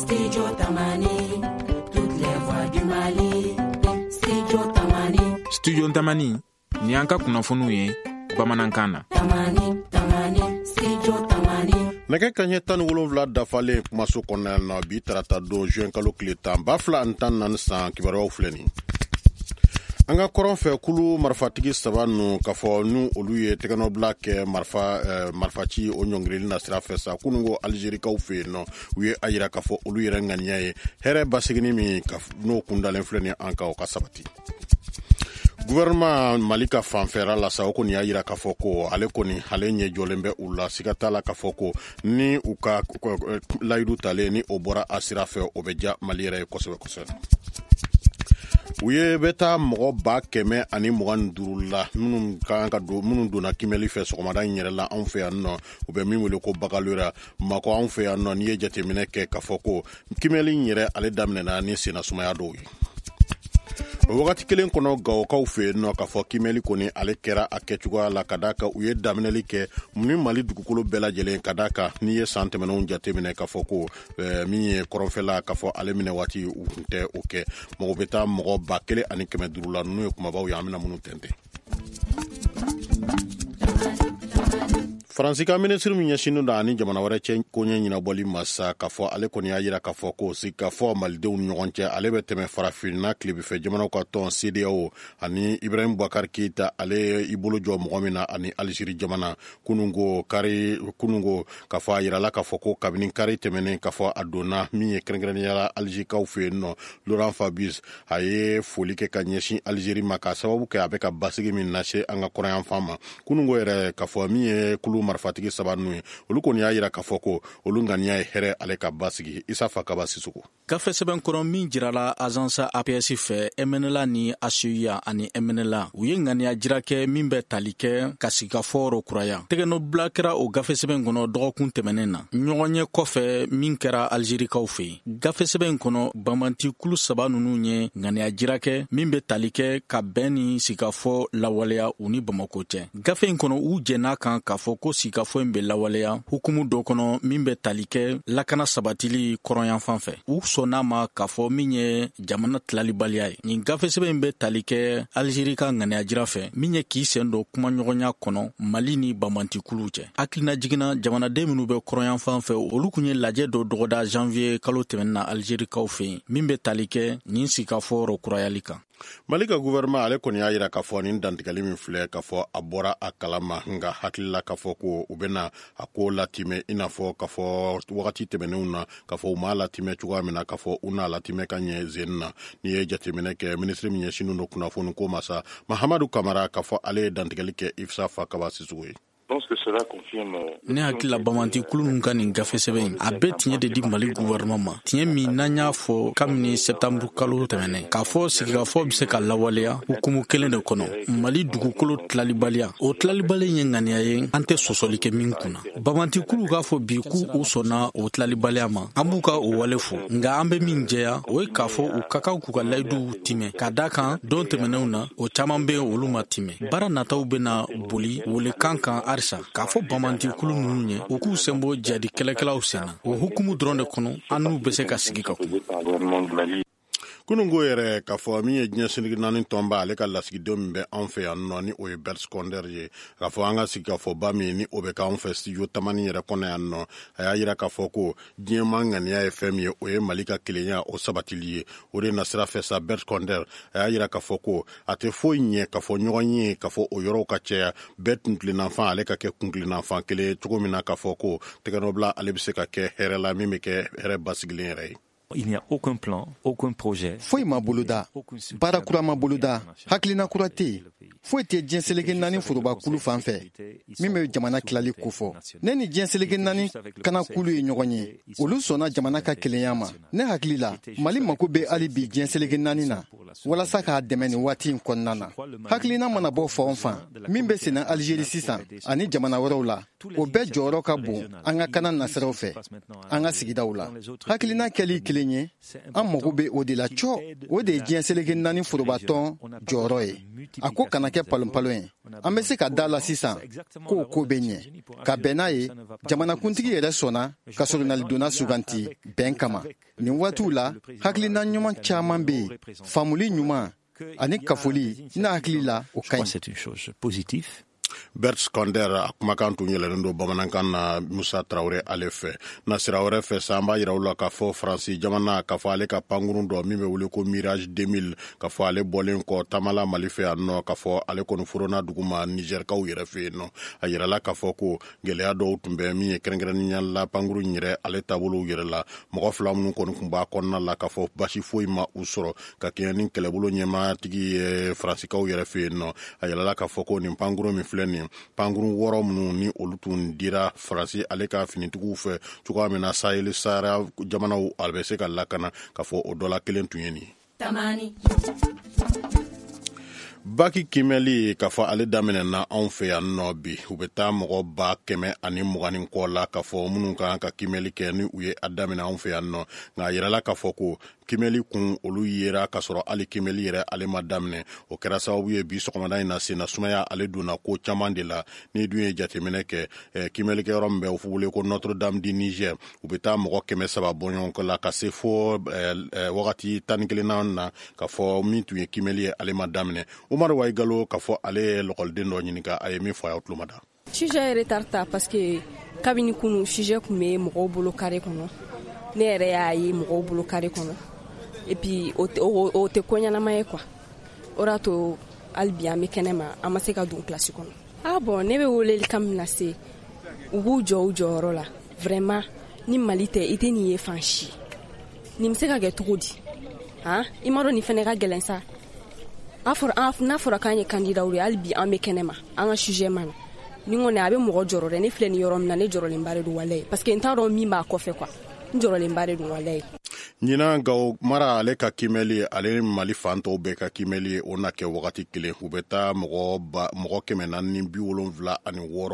Studio Tamani, toutes les voix du Mali. Studio Tamani. Studio Tamani, ni an ka kunnafoniw ye bamanankan na. Tamani, Tamani, Studio Tamani. Nɛgɛ kaɲɛ 17 dafalen kumaso kɔnɔna na bi, tarata don, juin kalo tile 10, 2014 san, kibaruyaw filɛ nin. An ka kɔrɔn fɛ, kulu marifatigi saba ninnu, k'a fɔ n'u olu ye tɛgɛnɔbila kɛ marifa marifaci o ɲɔngirili na sira fɛ sa kununko Alizerikaw fɛ yen nɔ, u ye a yira k'a fɔ olu yɛrɛ ŋaniya ye hɛrɛ basigini min n'o kundalen filɛ nin an kan, o ka sabati. Gouvernement Mali ka fanfɛra la sa, o kɔni y'a yira k'a fɔ ko ale kɔni, ale ɲɛ jɔlen bɛ u la. Siga t'a la k'a fɔ ko ni u ka layidu talen ni o bɔra a sira fɛ, o bɛ diya Mali yɛrɛ ye kosɛbɛ kosɛbɛ. U ye bɛ taa mɔgɔ 125 la minnu ka kan ka don, minnu donna kimɛli fɛ sɔgɔmada in yɛrɛ la anw fɛ yan nɔ, u bɛ min wele ko baccalauréat. Makɔ anw fɛ yan nɔ, n'i ye jateminɛ kɛ k'a fɔ ko kimɛli in yɛrɛ, ale daminɛna ni sennasumaya dɔw ye. O wagati kelen kɔnɔ, Gawokaw fɛ yen nɔ, k'a fɔ kimɛli kɔni, ale kɛra a kɛcogoya la, ka d'a kan u ye daminɛli kɛ ni Mali dugukolo bɛɛ lajɛlen, ka d'a kan n'i ye san tɛmɛnenw jateminɛ k'a fɔ ko min ye kɔrɔnfɛla, k'a fɔ ale minɛ waati, u tun tɛ o kɛ. Mɔgɔ bɛ taa mɔgɔ 1500 la. Ninnu ye kumabaw ye an bɛna minnu tɛntɛn. Faransi ka minisiri min ɲɛsinnen don ani jamana wɛrɛ cɛ koɲɛ ɲɛnabɔli ma sa, k'a fɔ ale kɔni y'a yira k'a fɔ ko sigikafɔ malidenw ni ɲɔgɔn cɛ, ale bɛ tɛmɛ Farafinna tilebifɛ jamanaw ka tɔn CEDEAO ani Ibrahim Boubacar Keita, ale i bolo jɔ mɔgɔ min na, ani Alizeri jamana. Kununko kari, kununko, k'a fɔ a yirala k'a fɔ ko kabini kari tɛmɛnen, k'a fɔ a donna min ye kɛrɛnkɛrɛnnenya la Alizerikaw fɛ yen nɔ, Laurent Fabius, a ye foli kɛ ka ɲɛsin Alizeri ma, k'a sababu kɛ a bɛ ka basigi min lase an ka kɔrɔnyanfan ma. Kununko yɛrɛ, k'a fɔ min ye kulu marifatigi saba ninnu ye, olu kɔni y'a yira k'a fɔ ko olu ŋaniya ye hɛrɛ ale ka basigi. Isa Fakaba Sisoko. Gafe sɛbɛn kɔrɔ min jirala agence APS fɛ, MNLA ni ACUA ani MNLA, u ye ŋaniya jira kɛ min bɛ tali kɛ ka sigikafɔ rɔ kuraya. Tɛgɛnɔbila kɛra o gafe sɛbɛn kɔnɔ dɔgɔkun tɛmɛnen na, ɲɔgɔnye kɔfɛ min kɛra Algerikaw fɛ yen. Gafe sɛbɛn kɔnɔ, banbanti kulu saba ninnu ye ŋaniya jira kɛ min bɛ tali kɛ ka bɛn ni sigikafɔ lawaleya u ni Bamako cɛ. Gafe in kɔnɔ, u jɛn'a kan k'a fɔ ko sigikafɔ in bɛ lawaleya hukumu dɔ kɔnɔ min bɛ tali kɛ lakana sabatili kɔrɔnyanfan fɛ. U sɔnn'a ma k'a fɔ min ye jamana tilalibaliya ye. Nin gafe sɛbɛn in bɛ tali kɛ Alizeri ka ŋaniya jira fɛ min ye k'i sen don kumaɲɔgɔnya kɔnɔ Mali ni banbantikuluw cɛ. Hakilina jiginna, jamanaden minnu bɛ kɔrɔnyanfan fɛ, olu kun ye lajɛ dɔ dɔgɔda janvier kalo tɛmɛnen na Alizerikaw fɛ yen min bɛ tali kɛ nin sigikafɔ rɔ kurayali kan. Mali ka gouvernement, ale kɔni y'a yira k'a fɔ nin dantigɛli min filɛ, k'a fɔ a bɔra a kalama, nka hakilila k'a fɔ ko u bɛna a ko latimɛ i n'a fɔ k'a fɔ wagati tɛmɛnenw na, k'a fɔ u m'a latimɛ cogoya min na, k'a fɔ u n'a latimɛ ka ɲɛ zen na. N'i ye jateminɛ kɛ, minisiri min ɲɛsinnen don kunnafoni ko ma sa, Mahamadu Kamara, k'a fɔ ale ye dantigɛli kɛ Isa Fakaba Sisoko ye. Ne hakili la, banbanti kulu ninnu ka nin gafe sɛbɛn in, a bɛ tiɲɛ de di Mali gouvernement ma, tiɲɛ min n'an y'a fɔ kabini sɛptanburu kalo tɛmɛnen, k'a fɔ sigikafɔ bɛ se ka lawaleya hukumu kelen de kɔnɔ, Mali dugukolo tilalibaliya. O tilalibali ye ŋaniya ye an tɛ sɔsɔli kɛ min kunna. Banbanti kulu k'a fɔ bi k'u u sɔnna o tilalibaliya ma, an b'u ka o wale fo, nka an bɛ min jɛya, o ye k'a fɔ u ka kan k'u ka layiduw timɛ, ka da kan don tɛmɛnenw na, o caman bɛ yen, olu ma timɛ. Baara nataw bɛna boli welekan kan halisa k'a fɔ banbanti kulu ninnu ye, u k'u sen bɔ jadi kɛlɛkɛlaw sen na. O hukumu dɔrɔn de kɔnɔ, an n'u bɛ se ka sigi ka kuma. Kununko yɛrɛ, k'a fɔ min ye diɲɛ seleke naani tɔnba, ale ka lasigidenw min bɛ anw fɛ yan nɔ, ni o ye Bert Koenders ye, k'a fɔ an ka sigikafɔba min ni o bɛ k'anw fɛ studio Tamani yɛrɛ kɔnɔ yan nɔ, a y'a yira k'a fɔ ko diɲɛma ŋaniya ye fɛn min ye, o ye Mali ka kelenya o sabatili ye. O de nasira fɛ sa, Bert Koenders, a y'a yira k'a fɔ ko a tɛ foyi ɲɛ k'a fɔ ɲɔgɔn ye, k'a fɔ o yɔrɔw ka caya, bɛɛ kuntilennafan ale ka kɛ kuntilennafan kelen ye cogo min na, k'a fɔ ko tɛgɛnɔbila ale bɛ se ka kɛ hɛrɛ la, min bɛ kɛ hɛrɛ basigilen yɛrɛ ye. Il n'y a aucun plan, aucun projet. Foyi ma boloda, baara kura ma boloda, hakilina kura tɛ yen, foyi tɛ diɲɛ seleke naani foroba kulu fan fɛ min bɛ jamana tilali kofɔ. Ne ni diɲɛ seleke naani kana kulu ye ɲɔgɔn ye, olu sɔnna jamana ka kelenya ma. Ne hakili la, Mali mako bɛ hali bi diɲɛ seleke naani na walasa k'a dɛmɛ nin waati in kɔnɔna na. Hakilina mana bɔ fan o fan min bɛ senna Alizeri sisan ani jamana wɛrɛw la, o bɛɛ jɔyɔrɔ ka bon an ka kana nasiraw fɛ an ka sigidaw la. Hakilina kɛli kelen ye, an mago bɛ o de la cɔ. O de ye diɲɛ seleke naani forobatɔn jɔyɔrɔ ye. A ko kana kɛ palonpalon ye. An bɛ se ka da la sisan k'o ko bɛ ɲɛ ka bɛn n'a ye. Jamanakuntigi yɛrɛ sɔnna ka soronalidonna suganti bɛn kama. Nin waatiw la, hakilina ɲuman caman bɛ yen, faamuli ɲuman ani kafoli, ne hakili la, o ka ɲi. C'est une chose positive. Bert Koenders a kumakan tun yɛlɛlen don bamanankan na Musa Tarawele ale fɛ. Na sira wɛrɛ fɛ sa, an b'a yira u la k'a fɔ Faransi jamana, k'a fɔ ale ka pankurun dɔ min bɛ wele ko Mirage 2000, k'a fɔ ale bɔlen kɔ taamala Mali fɛ yan nɔ, k'a fɔ ale kɔni forona duguma Nizɛrikaw yɛrɛ fɛ yen nɔ. A yirala k'a fɔ ko gɛlɛya dɔw tun bɛ min ye, kɛrɛnkɛrɛnnenya la pankurun yɛrɛ ale taabolow yɛrɛ la. Mɔgɔ fila minnu kɔni tun b'a kɔnɔna la, k'a fɔ basi foyi ma u sɔrɔ, ka kɛɲɛ ni kɛlɛbolo ɲɛmatigi ye Faransikaw yɛrɛ fɛ yen nɔ. A yirala k'a fɔ ko nin pankurun min filɛ nin, pankurun wɔɔrɔ minnu ni olu tun dira Faransi ale ka finitigiw fɛ cogoya min na Sahel Sahara jamanaw a bɛ se ka lakana, k'a fɔ o dɔ la kelen tun ye nin ye. Tamani. Baki kimɛli, k'a fɔ ale daminɛna anw fɛ yan nɔ bi. U bɛ taa mɔgɔ 120,000 ni kɔ la, k'a fɔ minnu kan ka kimɛli kɛ ni u ye a daminɛ anw fɛ yan nɔ. Nka a yirala k'a fɔ ko kimɛli kun olu yera k'a sɔrɔ hali kimɛli yɛrɛ ale ma daminɛ. O kɛra sababu ye bi sɔgɔmada in na, senna sumaya ale donna ko caman de la. N'i dun ye jateminɛ kɛ, kimɛlikɛyɔrɔ min bɛ u wele ko Notre Dame du Niger, u bɛ taa mɔgɔ 300 bɔɲɔgɔn la ka se fo wagati 11nan na, k'a fɔ min tun ye kimɛli ye ale ma daminɛ. Umaru Wayigalo, k'a fɔ ale ye lɔkɔliden dɔ ɲininka, a ye min fɔ a y'aw tulo ma da. Sujet ye retard ta parce que kabini kunu, sujet tun bɛ mɔgɔw bolo carré kɔnɔ. Ne yɛrɛ y'a ye mɔgɔw bolo carré kɔnɔ, et puis o tɛ ko ɲɛnama ye quoi. O de y'a to hali bi an bɛ kɛnɛ ma, an ma se ka don kilasi kɔnɔ. Ah bon, ne bɛ weleli kan min lase, u k'u jɔ u jɔyɔrɔ la. Vraiment, ni Mali tɛ, i tɛ nin ye fan si. Nin bɛ se ka kɛ cogo di? Han, i m'a dɔn nin fana ka gɛlɛn sa. A fɔra, n'a fɔra k'an ye candidat ye, hali bi an bɛ kɛnɛ ma, an ka sujet ma na. Ni kɔni a bɛ mɔgɔ jɔrɔ dɛ. Ne filɛ nin yɔrɔ min na, ne jɔrɔlenba de don walayi, parce que n t'a dɔn min b'a kɔfɛ quoi. N jɔrɔlenba de don walayi. Ɲinan, Gawo mara ale ka kimɛli ale Mali fan tɔw bɛɛ ka kimɛli, o na kɛ wagati kelen. U bɛ taa mɔgɔ 476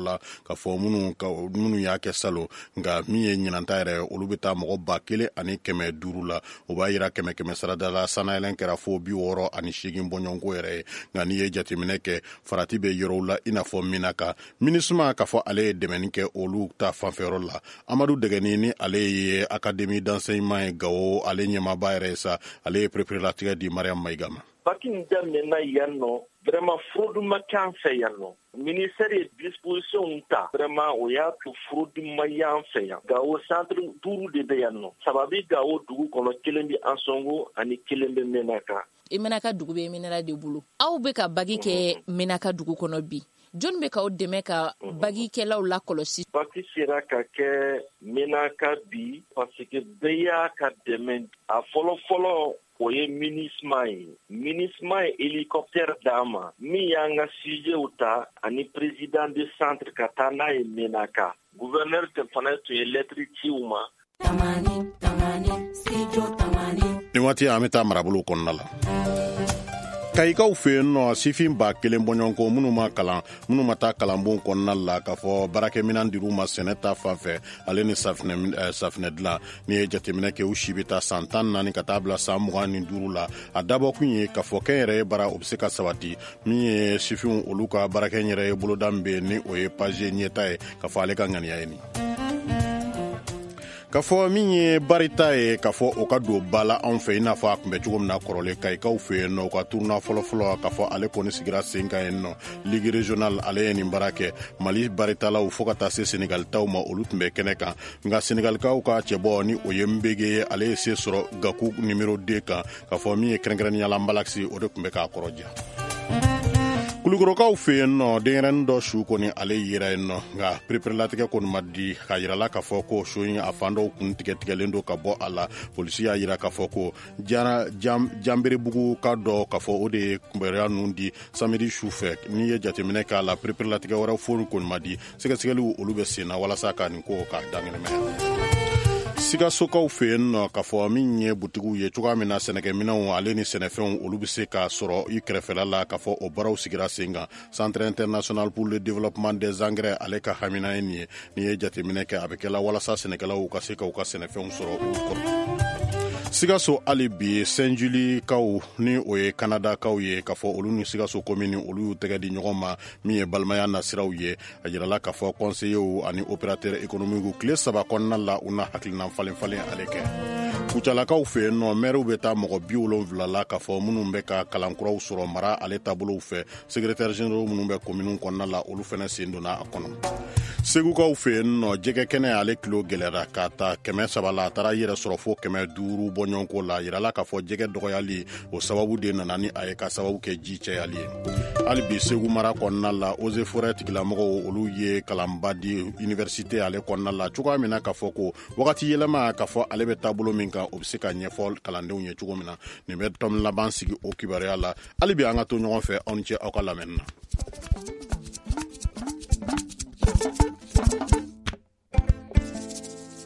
la, ka fɔ minnu y'a kɛ salon. Nka min ye ɲinanta yɛrɛ, olu bɛ taa mɔgɔ 1,500 la. O b'a yira kɛmɛ kɛmɛ sarada la, sannayɛlɛn kɛra fo 68 bɔɲɔgɔnko yɛrɛ ye. Nka n'i ye jateminɛ kɛ, farati bɛ yɔrɔw la i n'a fɔ Minaka. MINUSMA, k'a fɔ ale ye dɛmɛni kɛ olu ta fanfɛyɔrɔ la. Amadu Dɛgɛni, ni ale ye académie d'enseignement ye Gawo, ale ɲɛmaaba yɛrɛ ye sa, ale ye pereperelatigɛ di Mariam Mayiga ma. Baki in daminɛna yan nɔ, vraiment fraude ma kɛ an fɛ yan nɔ. Ministère ye disposition ta, vraiment o y'a to fraude ma y'an fɛ yan. Gawo, centre duuru de bɛ yan nɔ. Saba bɛ Gawo dugu kɔnɔ, kelen bɛ Ansɔngo ani kelen bɛ Menaka. Menaka dugu bɛ MNLA de bolo. Aw bɛ ka baki kɛ Menaka dugu kɔnɔ bi. Jɔnni bɛ k'aw dɛmɛ ka bagikɛlaw lakɔlɔsi? Baki sera ka kɛ Menaka bi parce que bɛɛ y'a ka dɛmɛ. A fɔlɔ fɔlɔ, o ye MINUSMA ye. MINUSMA ye hélicoptère d'an ma min y'an ka sujetw ta ani président de centre ka taa n'a ye Menaka. Gouverneur tɛ fana tun ye lettre ci u ma. Tamani, tamani, studio tamani. Nin waati an bɛ taa marabolo kɔnɔna la, Kayikaw fɛ yen nɔ. Sifin 1000 bɔɲɔgɔnko minnu ma kalan, minnu ma taa kalanbon kɔnɔna la, k'a fɔ baarakɛminan dir'u ma sɛnɛ ta fan fɛ ale ni safinɛ dilan. N'i ye jateminɛ kɛ, u si bɛ taa san 14 ka taa bila san 25 la. A dabɔkun ye k'a fɔ kɛnyɛrɛye baara, o bɛ se ka sabati. Min ye sifinw olu ka baarakɛ yɛrɛ ye boloda min bɛ yen, ni o ye PAJE ɲɛta ye, k'a fɔ ale ka ŋaniya ye nin, k'a fɔ min ye barita ye, k'a fɔ o ka don ba la anw fɛ i n'a fɔ a tun bɛ cogo min na kɔrɔlen. Kayikaw fɛ yen nɔ, u ka tournoi fɔlɔfɔlɔ, k'a fɔ ale kɔni sigira sen kan yen nɔ. Ligue régionale ale ye nin baara kɛ. Mali baritalaw fo ka taa se Senegal taw ma, olu tun bɛ kɛnɛ kan. Nka Senegalikaw ka cɛbɔ, ni o ye Nbege ye, ale ye se sɔrɔ Gaku numéro 2 kan, k'a fɔ min ye kɛrɛnkɛrɛnnenya la Mbalaxi, o de tun bɛ k'a kɔrɔ diya. Kulukorokaw fɛ yen nɔ, denyɛrɛnin dɔ su kɔni ale yera yen nɔ, nka pereperelatigɛ kɔni ma di. K'a yirala k'a fɔ ko su in a fan dɔw kun tigɛtigɛlen don ka bɔ a la. Polisi y'a yira k'a fɔ ko Janberebugu ka dɔ, k'a fɔ o de ye kunbɛya ninnu di samedi su fɛ. N'i ye jateminɛ k'a la, pereperelatigɛ wɛrɛ foyi kɔni ma di. Sɛgɛsɛgɛliw olu bɛ sen na walasa ka nin ko k'a dankɛnɛmaya. Sikasokaw fɛ yen nɔ, k'a fɔ min ye butigiw ye cogoya min na sɛnɛkɛminɛnw ale ni sɛnɛfɛnw olu bɛ se ka sɔrɔ i kɛrɛfɛla la, k'a fɔ o baaraw sigira sen kan. Centre international pour le développement des engrais ale ka hamina ye nin ye. N'i ye jateminɛ kɛ, a bɛ kɛla walasa sɛnɛkɛlaw ka se ka u ka sɛnɛfɛnw sɔrɔ u kɔrɔ. Sikaso hali bi, Saint Julikaw, ni o ye Kanadakaw ye, k'a fɔ olu ni Sikaso komini olu y'u tɛgɛ di ɲɔgɔn ma, min ye balimaya nasiraw ye. A yirala k'a fɔ conseillers ani opérateur économique, tile 3 kɔnɔna la, u na hakilina falen falen ale kɛ. Kucalakaw fɛ yen nɔ, mɛriw bɛ taa mɔgɔ 70 la k'a fɔ minnu bɛ ka kalankuraw sɔrɔ mara ale taabolow fɛ. Secrétaire généraux minnu bɛ kominiw kɔnɔna la, olu fana sen donna a kɔnɔ. Segukaw fɛ yen nɔ, jɛgɛ kɛnɛ ale kilo gɛlɛyara ka ta 300 la, a taara yɛrɛ sɔrɔ fo 500 bɔɲɔgɔnko la. Yirala k'a fɔ jɛgɛ dɔgɔyali o sababu de nana ni a ye, ka sababu kɛ ji cayali ye. Hali bi Segu mara kɔnɔna la, eaux et forêt tigilamɔgɔw, olu ye kalanba di université ale kɔnɔna la cogoya min na k'a fɔ ko wagati yɛlɛma k'a fɔ ale bɛ taabolo min kan, o bɛ se ka ɲɛfɔ kalandenw ye cogo min na. Nin bɛ tɔmi laban sigi o kibaruya la. Hali bi an ka to ɲɔgɔn fɛ. Aw ni ce aw ka lamɛnni na.